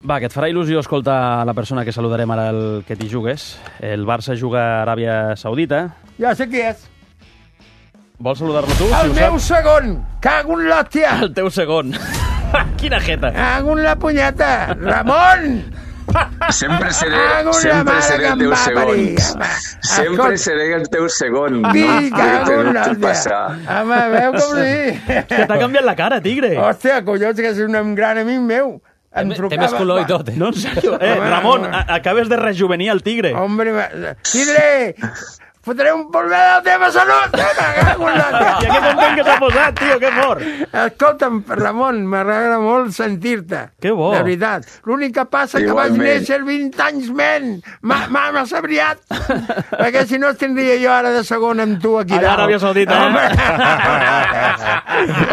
Va, que et farà il·lusió escoltar la persona que saludarem ara, el que t'hi jugues. El Barça juga a Aràbia Saudita. Ja sé qui és. Vols saludar-lo tu? El si meu segon! Cago en l'hòstia! El teu segon. Quina jeta! Cago en la punyeta! Ramon! Sempre seré el teu segon. Sempre seré el teu segon. Cago en l'hòstia! Home, veu com sí? Que t'ha canviat la cara, tigre! Hòstia, collons, que és un gran amic meu. Té més color i tot, eh? No, en sèrio. Ramon, acabes de rejuvenir el tigre. Hombre, tigre! Fotré un polvet de la teva salut! I que content que s'ha posat, tio, que fort! Escolta'm, Ramon, m'agrada molt sentir-te. Que bo. De veritat. L'únic que passa que vaig néixer 20 anys menys. M'ha sabriat. Perquè si no tindria jo ara de segon amb tu aquí dalt. A l'Aràbia Saudita,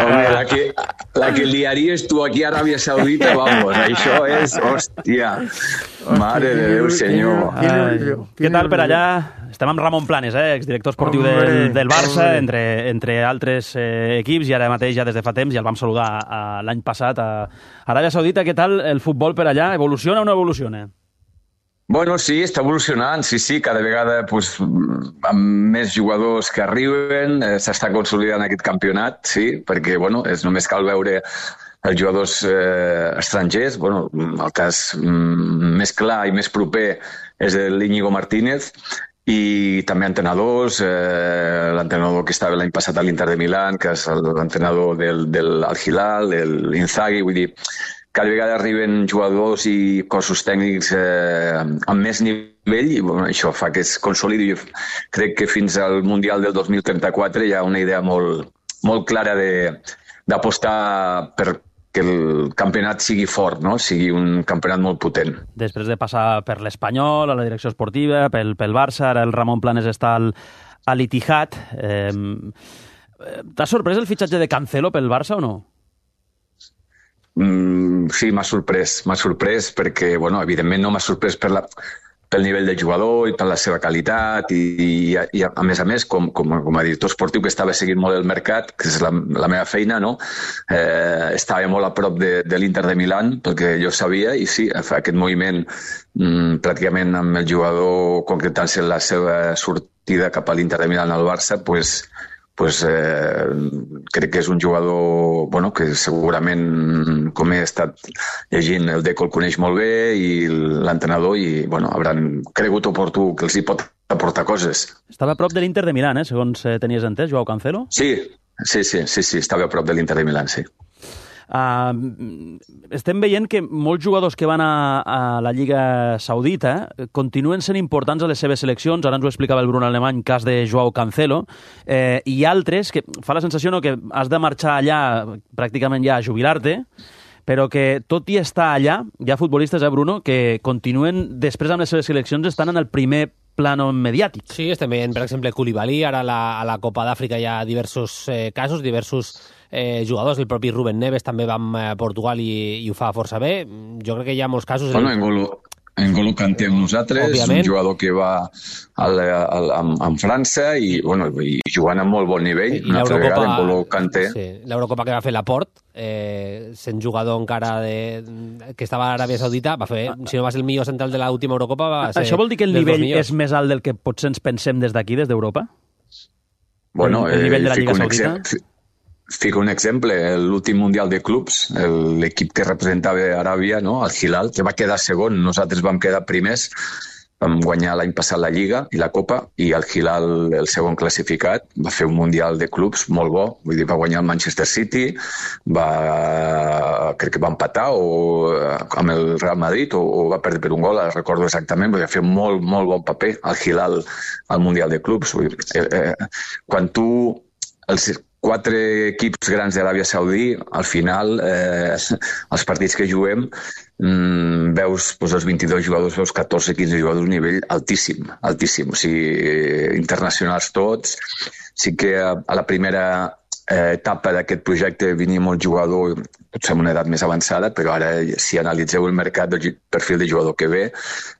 Home, la que liaries tu aquí a Aràbia Saudita, vamos, això és... Hòstia, mare de Déu, senyor. Què tal per allà? Estem amb Ramon Planes, exdirector esportiu del Barça, entre altres equips, i ara mateix ja des de fa temps, ja el vam saludar l'any passat a Aràbia Saudita. Què tal el futbol per allà? Evoluciona o no evoluciona? Bueno, sí, està evolucionant, sí, cada vegada pues, amb més jugadors que arriben, s'està consolidant aquest campionat, sí, perquè bueno, només cal veure els jugadors estrangers. Bueno, el cas més clar i més proper és l'Íñigo Martínez, i també entrenadors, l'entrenador que estava l'any passat a l'Inter de Milán, que és l'entrenador del Al-Hilal, l'Inzaghi, vull dir, cada vegada arriben jugadors i cossos tècnics amb més nivell, i bueno, això fa que es consolidi. Jo crec que fins al Mundial del 2034 hi ha una idea molt clara d'apostar per que el campionat sigui fort, no? Sigui un campionat molt potent. Després de passar per l'Espanyol, a la direcció esportiva, pel Barça, ara el Ramon Planes està a l'Itihad. T'ha sorprès el fitxatge de Cancelo pel Barça o no? Sí, m'ha sorprès perquè, bueno, evidentment no m'ha sorprès pel nivell del jugador i per la seva qualitat i a més, com a director esportiu que estava seguint molt el mercat, que és la meva feina, no? Estava molt a prop de l'Inter de Milán, perquè jo sabia, i sí, aquest moviment pràcticament amb el jugador concretant-se la seva sortida cap a l'Inter de Milán al Barça, crec que és un jugador que segurament, com he estat llegint, el Deco el coneix molt bé i l'entrenador, i hauran cregut oportú que els hi pot aportar coses. Estava a prop de l'Inter de Milán, segons tenies entès, Joao Cancelo? Sí, estava a prop de l'Inter de Milán, sí. Estem veient que molts jugadors que van a la Lliga Saudita continuen sent importants a les seves seleccions. Ara ens ho explicava el Bruno Alemany, cas de Joao Cancelo, i altres que fa la sensació que has de marxar allà pràcticament ja a jubilar-te, però que tot i estar allà, hi ha futbolistes, Bruno, que continuen després amb les seves seleccions estan en el primer plano mediàtic. Sí, estem veient, per exemple, Koulibaly, ara a la Copa d'Àfrica hi ha diversos casos, diversos jugadors, el propi Rubén Neves també va a Portugal i ho fa força bé. Jo crec que hi ha molts casos... N'Golo Kanté amb nosaltres, òbviament. Un jugador que va amb França i jugant a molt bon nivell. I l'Eurocopa, N'Golo Kanté. Sí, l'Eurocopa que va fer Laporte, sent jugador encara que estava a Aràbia Saudita, va fer, si no va ser el millor central de l'última Eurocopa, va ser... Això vol dir que el nivell és més alt del que potser ens pensem des d'aquí, des d'Europa? Bueno, el nivell de la Lliga Saudita? Fico un exemple, l'últim Mundial de Clubs, l'equip que representava Aràbia, no? El Hilal, que va quedar segon, nosaltres vam quedar primers, vam guanyar l'any passat la Lliga i la Copa, i el Hilal, el segon classificat, va fer un Mundial de Clubs molt bo, vull dir, va guanyar el Manchester City, crec que va empatar amb el Real Madrid o va perdre per un gol, recordo exactament, va fer molt bon paper el Hilal al Mundial de Clubs. Vull dir, quan tu... Els 4 equips grans d'Aràbia Saudí, al final, els partits que juguem, veus els 22 jugadors, veus 14-15 jugadors d'un nivell altíssim. O sigui, internacionals tots. Sí que a la primera etapa d'aquest projecte venia molt jugador, potser amb una edat més avançada, però ara, si analitzeu el mercat del perfil de jugador que ve,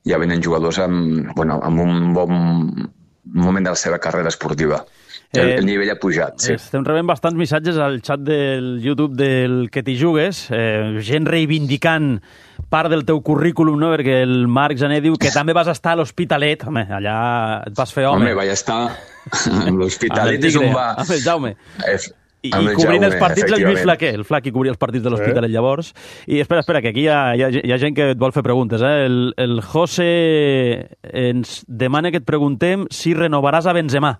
ja venen jugadors amb un bon moment de la seva carrera esportiva. El nivell ha pujat, sí. Estem rebent bastants missatges al xat del YouTube del que t'hi jugues, gent reivindicant part del teu currículum, no? Perquè el Marc Jané diu que també vas estar a l'Hospitalet. Home, allà et vas fer home. Home, vaig estar a l'Hospitalet, és on va... Amb el Jaume. I Amb el cobrint Jaume, els partits el Lluís efectivament. Flaquer. El Flaqui cobria els partits de l'Hospitalet llavors. I espera, que aquí hi ha gent que et vol fer preguntes. El José ens demana que et preguntem si renovaràs a Benzema.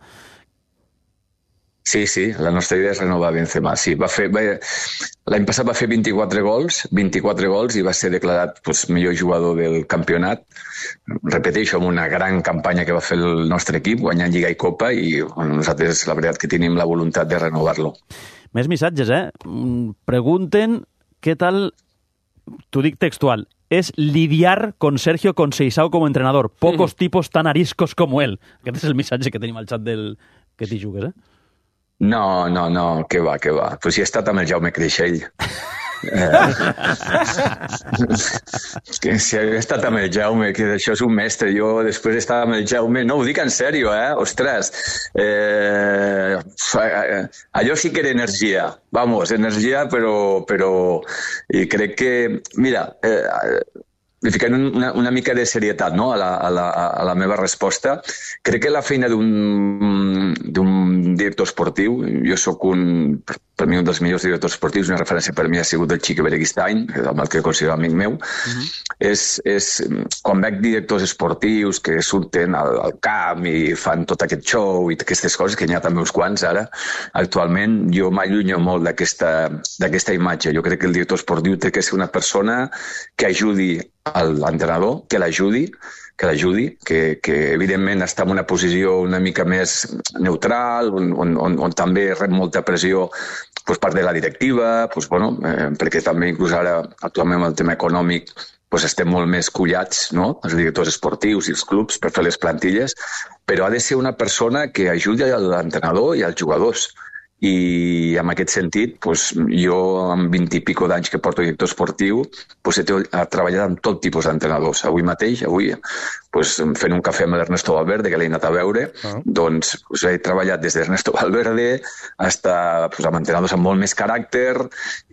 Sí, la nostra idea és renovar Benzema. Sí, l'any passat va fer 24 gols i va ser declarat millor jugador del campionat. Repeteixo, amb una gran campanya que va fer el nostre equip, guanyant Lliga i Copa, i nosaltres la veritat que tenim la voluntat de renovar-lo. Més missatges, Pregunten què tal, t'ho dic textual, es lidiar con Sergio Conceição como entrenador. Pocos tipos tan ariscos como él. Aquest és el missatge que tenim al xat del que t'hi jugues, No, què va. Però si he estat amb el Jaume Creixell. Si he estat amb el Jaume, que això és un mestre. Jo després estava amb el Jaume... No, ho dic en sèrio, Ostres. Allò sí que era energia. Vamos, energia, però... I crec que... Mira... li ficant una mica de serietat, no? a la meva resposta. Crec que la feina d'un director esportiu, jo sóc per mi un dels millors directors esportius, una referència per mi ha sigut el Xique Bereguistain, amb el que considero amic meu, és quan veig directors esportius que surten al camp i fan tot aquest show i aquestes coses, que n'hi ha també uns quants ara, actualment jo m'allunyo molt d'aquesta imatge. Jo crec que el director esportiu té que ser una persona que ajudi l'entrenador, que l'ajudi, que evidentment està en una posició una mica més neutral, on també rep molta pressió part de la directiva, perquè també inclús ara actualment amb el tema econòmic estem molt més collats, no? Els directors esportius i els clubs per fer les plantilles, però ha de ser una persona que ajudi l'entrenador i els jugadors. I en aquest sentit, jo amb 20 i pico d'anys que porto director esportiu, he treballat amb tot tipus d'entrenadors. Avui mateix, fent un cafè amb l'Ernesto Valverde, que l'he anat a veure, he treballat des d'Ernesto Valverde fins amb entrenadors amb molt més caràcter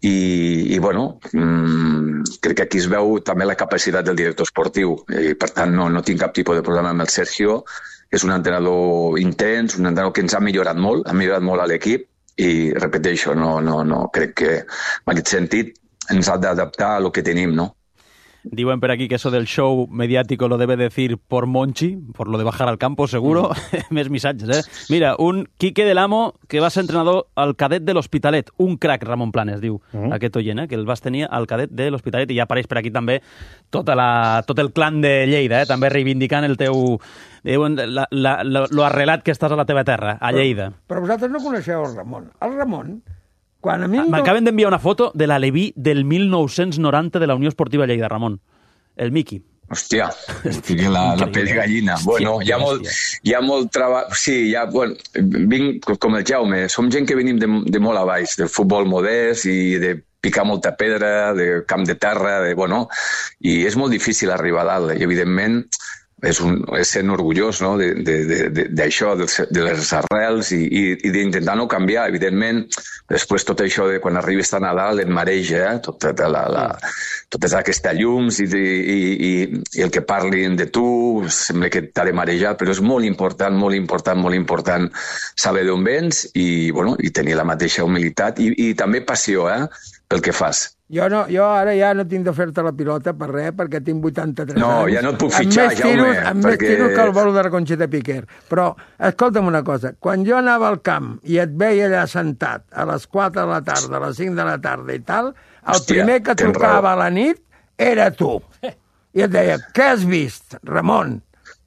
i crec que aquí es veu també la capacitat del director esportiu i per tant no tinc cap tipus de problema amb el Sergio. És un entrenador intens, un entrenador que ens ha millorat molt a l'equip i repeteixo, crec que en aquest sentit ens ha d'adaptar a lo que tenim, no? Diuen per aquí que eso del show mediático lo debe decir por Monchi, por lo de bajar al campo, seguro. Més missatges, Mira, un Quique del Amo, que va ser entrenador al cadet de l'Hospitalet. Un crac, Ramon Planes, diu aquest oient, que el vas tenir al cadet de l'Hospitalet. I ja apareix per aquí també tot el clan de Lleida, també reivindicant el teu... lo arrelat que estàs a la teva terra, a Lleida. Però vosaltres no coneixeu el Ramon. El Ramon... M'acaben d'enviar una foto de l'Aleví del 1990 de la Unió Esportiva Lleida, Ramon. El Miqui. Hòstia, la pell de gallina. Bueno, hi ha molt treball... Sí, vinc com el Jaume. Som gent que venim de molt a baix, del futbol modest i de picar molta pedra, de camp de terra, i és molt difícil arribar a dalt. I, evidentment, és sent orgullós d'això, de les arrels i d'intentar no canviar. Evidentment, després tot això de quan arribes tan a dalt et mareja, totes aquestes llums i el que parlin de tu, sembla que t'ha de marejar, però és molt important saber d'on vens i tenir la mateixa humilitat i també passió pel que fas. Jo ara ja no tinc de fer-te la pilota per res, perquè tinc 83 anys. No, ja no et puc fitxar, Jaume. Amb més tiros que el bolo de la Conxeta Piquer. Però, escolta'm una cosa, quan jo anava al camp i et veia allà sentat a les 4 de la tarda, a les 5 de la tarda i tal, el primer que trucava a la nit era tu. I et deia, què has vist, Ramon?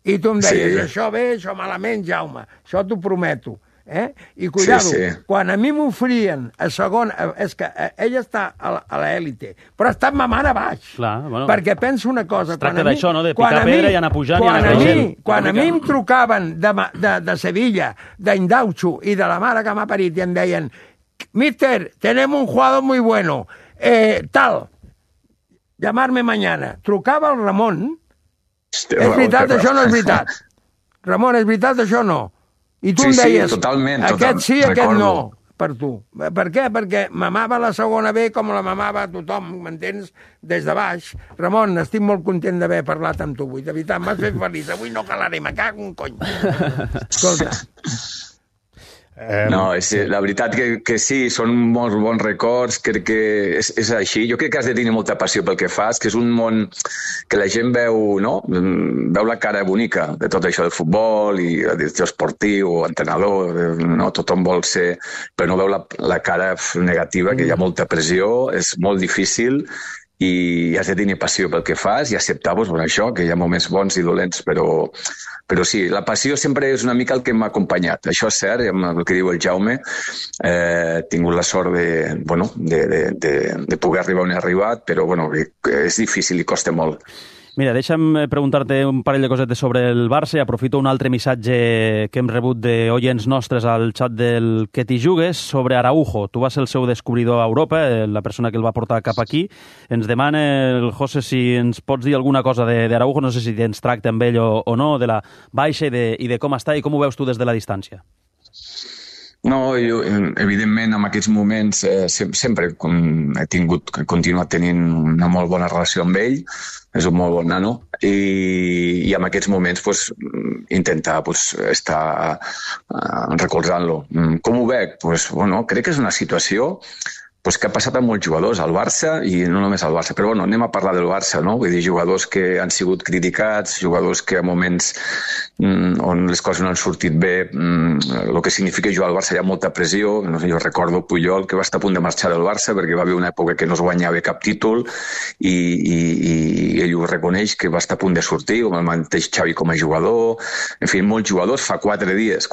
I tu em deies, això bé, això malament, Jaume, això t'ho prometo. I cuidado, quan a mi m'oferien a segon, és que ella està a l'èlite, però està mamant a baix. Perquè penso una cosa, es tracta d'això, no? De picar pedra i anar pujant i anar creixent. Quan a mi em trucaven de Sevilla, d'Indaucho i de la mare que m'ha parit i em deien, mister, tenemos un jugador muy bueno, tal, llamarme mañana. Trucava el Ramon. És veritat, això no és veritat. Ramon, és veritat, això no. I tu em deies, aquest sí, aquest no. per tu. Per què? Perquè mamava la segona B com la mamava tothom, m'entens? Des de baix. Ramon, estic molt content d'haver parlat amb tu avui. De veritat, m'has fet feliç. Avui no calaré, me cago un cony. Escolta. No, la veritat que sí, són molts bons records, crec que és així. Jo crec que has de tenir molta passió pel que fas, que és un món que la gent veu, no? Veu la cara bonica de tot això del futbol i el director esportiu, entrenador, no? Tothom vol ser, però no veu la cara negativa, que hi ha molta pressió, és molt difícil i has de tenir passió pel que fas i acceptar això, que hi ha moments bons i dolents, però sí, la passió sempre és una mica el que m'ha acompanyat. Això és cert, amb el que diu el Jaume, he tingut la sort de poder arribar on he arribat, però és difícil i costa molt. Mira, deixa'm preguntar-te un parell de cosetes sobre el Barça i aprofito un altre missatge que hem rebut d'oients nostres al xat del Que t'hi jugues sobre Araujo. Tu vas ser el seu descobridor a Europa, la persona que el va portar cap aquí. Ens demana el José si ens pots dir alguna cosa d'Araujo, no sé si tens tracte amb ell o no, de la baixa i de com està i com ho veus tu des de la distància. No, jo, evidentment, en aquests moments sempre he continuat tenint una molt bona relació amb ell, és un molt bon nano, i en aquests moments intentar estar recolzant-lo. Com ho veig? Crec que és una situació que ha passat amb molts jugadors al Barça, i no només al Barça, però anem a parlar del Barça, no? Vull dir, jugadors que han sigut criticats, jugadors que a moments on les coses no han sortit bé, el que significa jugar al Barça hi ha molta pressió. No sé, jo recordo Puyol, que va estar a punt de marxar del Barça perquè va haver una època que no es guanyava cap títol i ell ho reconeix, que va estar a punt de sortir, com el mateix Xavi com a jugador. En fi, molts jugadors fa 4 dies.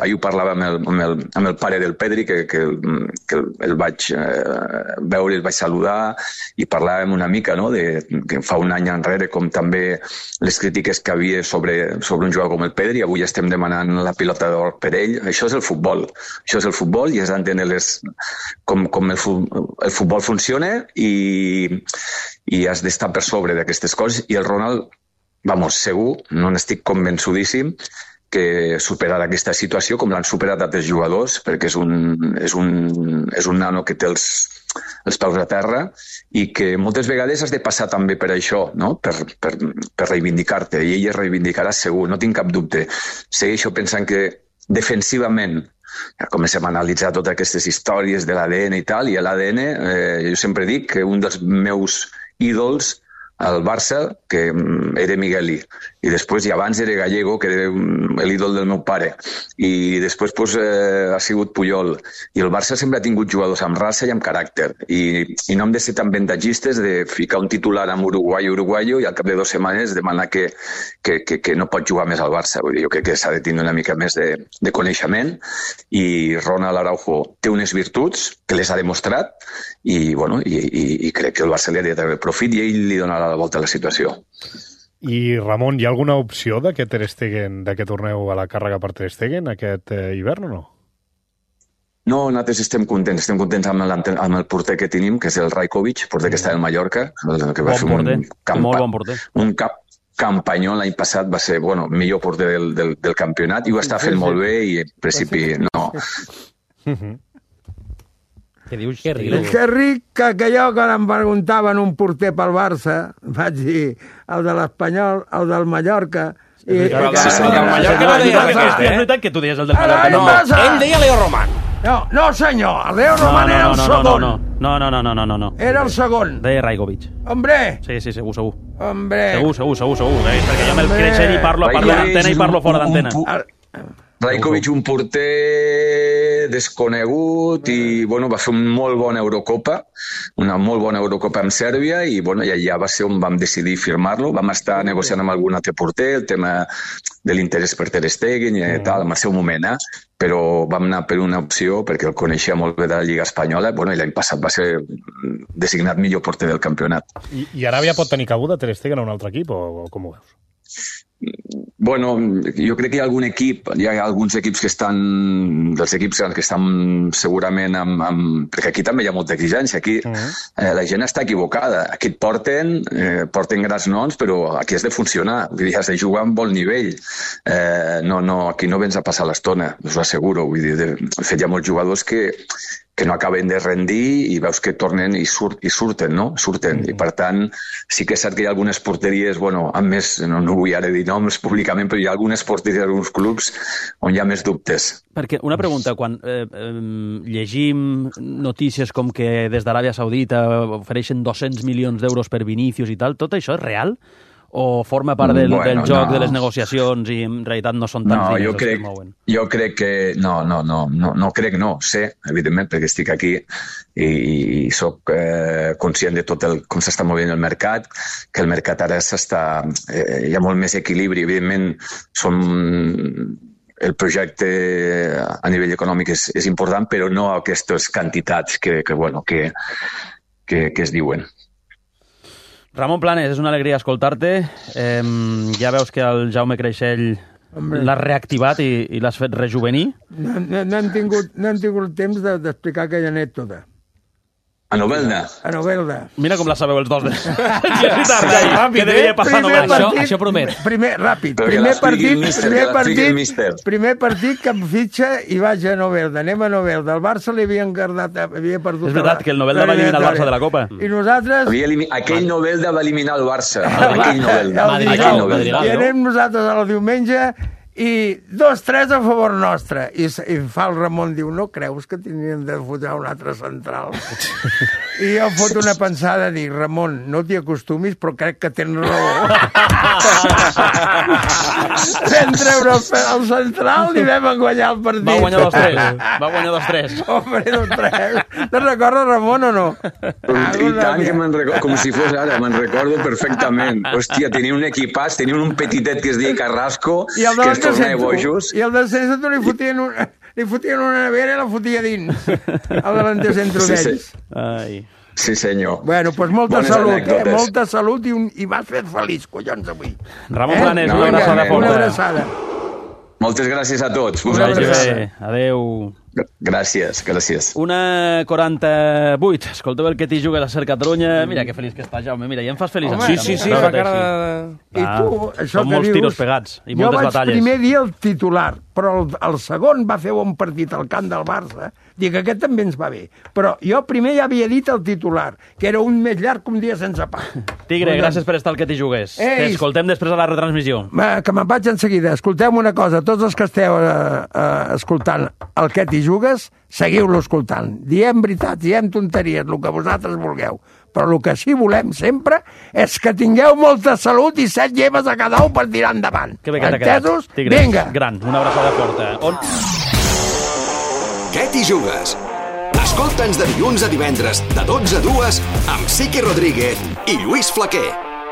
Ahir ho parlava amb el pare del Pedri, que el vaig veure, el vaig saludar i parlàvem una mica, no?, que fa un any enrere, com també les crítiques que havia sobre un jugador com el Pedri. Avui estem demanant la pilota d'or per ell. Això és el futbol. I has d'entendre com el futbol funciona i has d'estar per sobre d'aquestes coses. I el Ronald, segur, no n'estic convençudíssim, que superarà aquesta situació com l'han superat altres jugadors, perquè és un nano que té els peus a terra i que moltes vegades has de passar també per això, no? Per reivindicar-te, i ell es reivindicarà segur, no tinc cap dubte. Segueixo pensant que defensivament ja comencem a analitzar totes aquestes històries de l'ADN i tal, i l'ADN, jo sempre dic que un dels meus ídols al Barça, que era Migueli, i després, i abans era Gallego, que era l'ídol del meu pare, i després ha sigut Puyol, i el Barça sempre ha tingut jugadors amb raça i amb caràcter, i no hem de ser tan ventatgistes de ficar un titular amb uruguaio i al cap de 2 setmanes demanar que no pot jugar més al Barça. Vull dir, jo crec que s'ha de tenir una mica més de coneixement, i Ronald Araujo té unes virtuts que les ha demostrat, i crec que el Barça li ha de treure profit i ell li donarà la volta a la situació. I, Ramon, hi ha alguna opció de que Ter Stegen, que torneu a la càrrega per Ter Stegen aquest hivern o no? No, nosaltres estem contents amb el porter que tenim, que és el Rajkovic, porter que està al Mallorca, que va fer molt bon porter. Un campanyó l'any passat, va ser millor porter del campionat, i ho està fent molt bé, i en principi no. Què dius? Que ric. Que ric que jo, quan em preguntaven un porter pel Barça, vaig dir el de l'Espanyol, el del Mallorca... El del Mallorca no deia aquest, És veritat que tu deies el del Mallorca. No, ell deia Leo Roman. No, senyor, el Leo Roman era el segon. No. Era el segon. Deia Rajkovic. Hombre! Sí, segur. Hombre! Segur. Perquè jo me'l creixer i parlo a l'antena i parlo fora d'antena. Rajkovic, un porter desconegut, i va fer una molt bona Eurocopa amb Sèrbia, i allà va ser on vam decidir firmar-lo. Vam estar negociant amb algun altre porter el tema de l'interès per Ter Stegen i tal, en el seu moment, però vam anar per una opció perquè el coneixia molt bé de la Lliga Espanyola, i l'any passat va ser designat millor porter del campionat. I Aràbia pot tenir cabuda Ter Stegen a un altre equip, o com ho veus? Bueno, jo crec que hi ha alguns equips que estan, dels equips que estan segurament perquè aquí també hi ha molta exigència, aquí la gent està equivocada, aquí et porten grans noms, però aquí has de funcionar, vull dir, has de jugar amb bon nivell, aquí no vens a passar l'estona, us ho asseguro, vull dir, de fet hi ha molts jugadors que no acaben de rendir i veus que tornen i surten, no? Surten. I per tant, sí que és cert que hi ha algunes porteries, bueno, amb més, no vull ara dir noms públicament, però hi ha algunes porteries d'alguns clubs on hi ha més dubtes. Perquè una pregunta, quan llegim notícies com que des d'Aràbia Saudita ofereixen 200 milions d'euros per Vinícius i tal, tot això és real? O forma part del joc de les negociacions i en realitat no són tants diners els que es mouen? Jo crec que no, sé, evidentment, perquè estic aquí i soc conscient de tot com s'està movent el mercat, que el mercat ara hi ha molt més equilibri, evidentment el projecte a nivell econòmic és important, però no aquestes quantitats que es diuen. Ramon Planes, és una alegria escoltar-te. Ja veus que el Jaume Creixell l'has reactivat i l'has fet rejuvenir. No hem tingut temps d'explicar aquella anècdota. A Novelda. A Novelda. Mira com la sabeu els dos. Que devia passar a Novelda. Això promet. Ràpid. Primer partit que em fitxa i vaig a Novelda. Anem a Novelda. El Barça havia perdut. És veritat que el Novelda va eliminar el Barça de la Copa. I nosaltres... Aquell Novelda va eliminar el Barça. Aquell Novelda. I anem nosaltres el diumenge i 2-3 a favor nostre. I fa el Ramon, diu, no creus que tindríem de fotar un altre central? I jo foto una pensada a dir, Ramon, no t'hi acostumis, però crec que tens raó. Vam treure el central i vam guanyar el partit. Va guanyar 2-3. Home, 2-3. Te'n recordes, Ramon, o no? I tant que me'n recordo, com si fos ara, me'n recordo perfectament. Hòstia, tenia un equipàs, tenia un petitet que es deia Carrasco, que es tornava bojos. I el del centre li fotien una nevera i la fotia dins. El delanter centre d'ells. Sí, senyor. Bueno, doncs molta salut, molta salut i m'has fet feliç, collons, avui. Ramon Planes, una abraçada forta. Una abraçada. Moltes gràcies a tots. Adéu. Gràcies. 1:48. Escolteu el que t'hi juga a la Ser Catalunya. Mira que feliç que està, Jaume. Mira, ja em fas feliç. Sí, fa cara de... I tu, això són que molts dius... tiros pegats i moltes batalles. Jo vaig primer dir el titular, però el segon va fer bon partit al camp del Barça. Dic, aquest també ens va bé. Però jo primer ja havia dit el titular, que era un més llarg que un dia sense pa. Tigre, gràcies per estar al que t'hi jugues. T'escoltem després a la retransmissió. Que me'n vaig en seguida. Escolteu una cosa, tots els que esteu escoltant el que t'hi jugues, seguiu-lo escoltant. Diem veritats, diem tonteries, el que vosaltres vulgueu. Però el que sí volem sempre és que tingueu molta salut i 7 lleves a cada un per tirar endavant. Que bé que t'ha quedat. Entesos? Tigre, vinga. Gran, una abraçada forta. Què t'hi jugues? Escolta'ns de dilluns a divendres, de 12 a 2, amb Siqui Rodríguez i Lluís Flaquer.